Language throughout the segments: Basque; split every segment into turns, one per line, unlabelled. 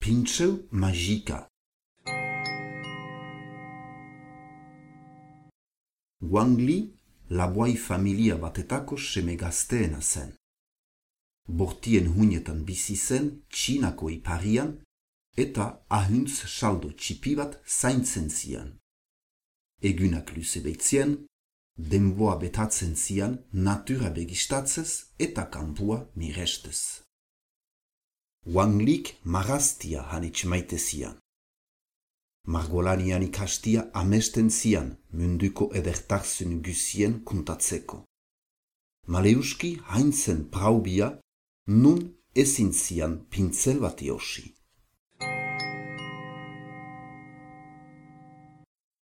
Pintseu magika. Wang Li laboai familia batetako seme gazteena zen. Bortien hunetan bizi zen Txinako iparian eta ahuntz saldo txipi bat zaintzen zian. Egunak luze beitzien, denboa betatzen zian natura begistatzez eta kanpua mirestez. Wang Lik maraztia hanitz maite zian. Margolanian ikastia amesten zian munduko edertarzun guzien kontatzeko. Maleuski haintzen praubia, nun ezin zian pintzel bat eosi.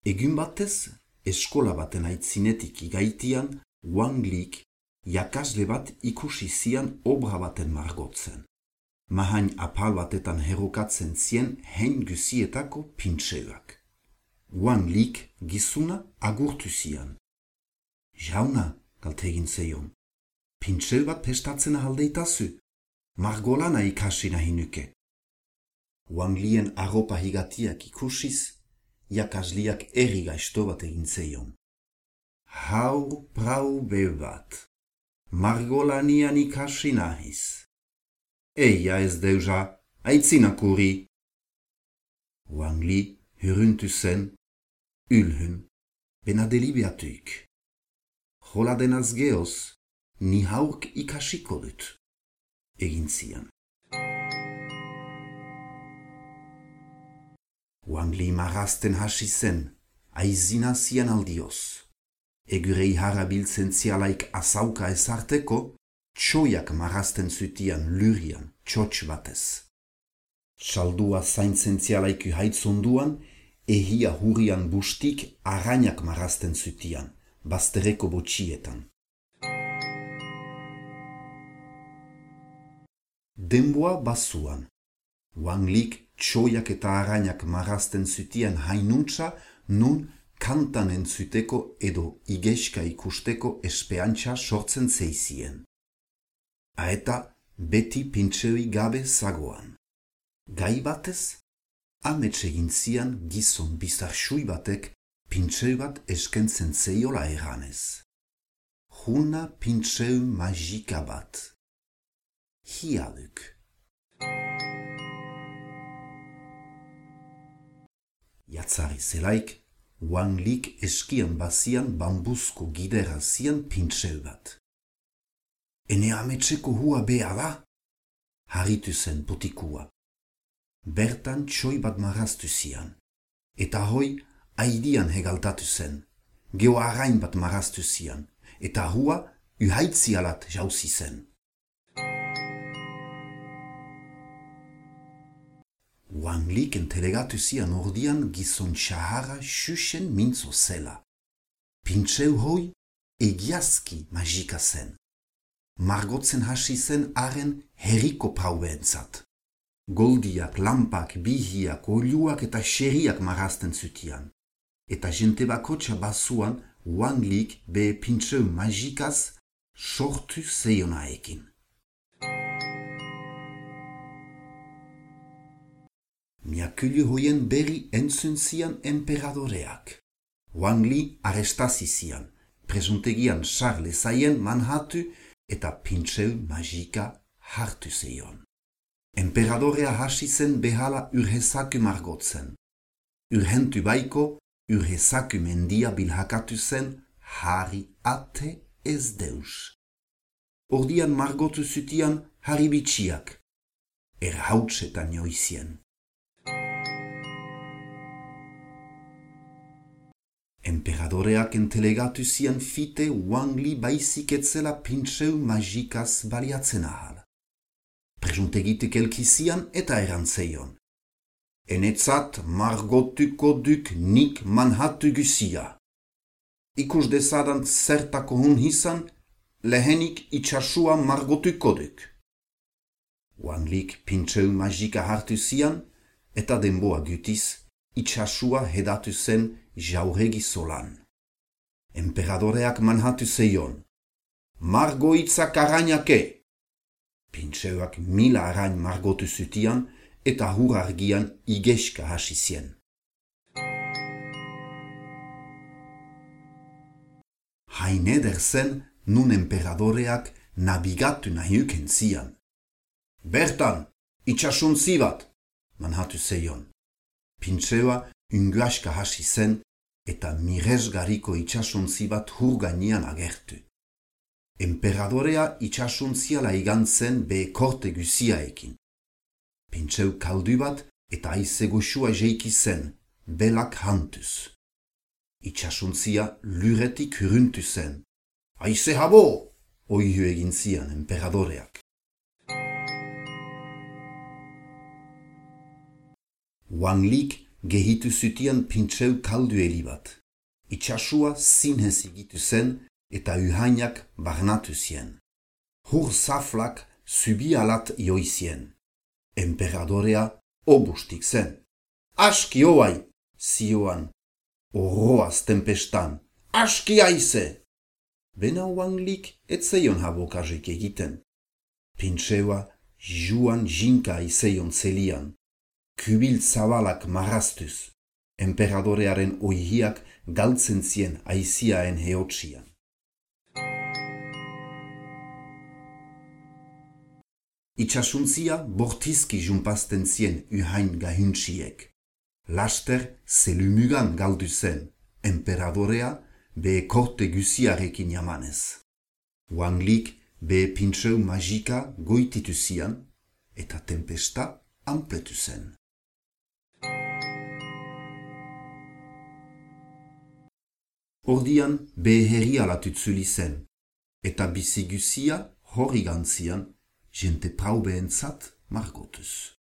Egun batez, eskola baten aitzinetik igaitian, Wang Lik jakasle bat ikusi zian obra baten margotzen. Mahain apal batetan herrokatzen zien hein guzietako pintseuak. Wang Lik gizuna agurtu zian. Jauna, galtegin zeion, pintseu bat pestatzen ahaldeitazu, margolana ikasi nahi nuke. Wang Lien arropa higatiak ikusiz, jakasliak erri gaizto bat egin zeion. Haur prau bebat, margolanian ikasi nahiz. Eia ez deuja, aitzinakuri. Wang Li huruntu zen, ülhün, bena delibeatuik. Jola denaz geoz, ni haurk ikasiko dut, egin zian. Wang Li marazten hasi zen, aizina zian aldioz. Egurei harabiltzen zialaik azauka ezarteko, txoiak marazten zutian lurian, txotx batez. Txaldua zaintzen zialaik uhaitzonduan, ehia hurian bustik arainak marazten zutian, baztereko botxietan. Denboa basuan, Wang Lik txoiak eta arainak marazten zutian hainuntza nun kantan entzuteko edo igeska ikusteko espeantza sortzen zeizien. Aeta beti pintseui gabe zagoan. Gai batez, amets egin zian gizon bizarxui batek pintseu bat eskentzen zeiola eranez. Juna pintseu magika bat. Hiaduk. Jatzari zelaik, Wang Lik eskian bazian bambuzko gidera zian pintseu bat. Ene ametseko hua bea da? Harritu zen potikua. Bertan txoi bat maraztu zian. Eta hoi aidian hegaltatu zen. Geo arain bat maraztu zian. Eta hua uhaitzialat jauzi zen. Wang Lik entelegatu zian ordian gizon txahara xuxen mintzo zela. Pintseu hoi egiazki magika zen. Margotzen hasi zen haren herriko praubeentzat. Goldiak, lampak, bihiak, oluak eta xeriak marazten zutian. Eta jente bakotxa basuan Wang Lik be pintseu magikaz sortu zeionaekin. Miakulu hoien berri entzun zian emperadoreak. Wang Li arrestazi zian, presuntegian Charles zaien manhatu eta pintseu magika hartu zeion. Emperadorea hasi zen behala urhezaku margotzen. Urhentu baiko, urhezaku mendia bilhakatu zen harri ate ez deus. Ordian margotu zutian harri bitxiak, erhautsetan joizien. Emperadoreak entelegatu zian fite Wang Li baizik etzela pintseu magikaz baliatzen ahal. Presuntegitik elkizian eta erantzeion. Enetzat margotuko duk nik manhatu guzia. Ikus dezadan zertako hun hizan, lehenik itxasua margotuko duk. Wang Lik pintseu magika hartu zian, eta denboa gutiz, itxasua hedatu zen jauregi solan. Emperadoreak manhatu zeion. Margoitzak arainake! Pintseuak 1000 arain margotu zutian, eta hur argian igeska hasi zien. Hain eder zen nun emperadoreak nabigatu nahiuken zian. Bertan, itxasuntzi bat, manhatu zeion. Pintxeua ungaska hasi zen eta miresgariko itxasuntzi bat hur gainean agertu. Emperadorea itxasuntziala igantzen be korte guziaekin. Pintxeu kaldu bat eta aize goxua jeiki zen, belak hantuz. Itxasuntzia luretik huruntu zen. Aize habo! Oihu egin zian emperadoreak. Wang Lik gehitu zutian pintxeu kaldu bat. Itxasua zinez egitu zen eta uhainak barnatu zien. Hur zaflak zubi alat joizien. Emperadorea obustik zen. Aski hoai, zioan. Oroaz tempestan. Aski aize! Bena Wang Lik etzeion habokazek egiten. Pintxeua juan jinka aizeion zelian. Kubil zabalak marrastuz. Emperadorearen oihiak galtzen zien aiziaen heotsian. Itxasuntzia bortizki junpazten zien uhain gahuntsiek. Laster zelumugan galdu zen, emperadorea be korte guziarekin jamanez. Wang Lik be pintxeu magika goititu zian eta tempesta ampletu zen. Ordian be herrialatu tzuli zen, eta bizi guzia hori gantzian jente praubeentzat margotuz.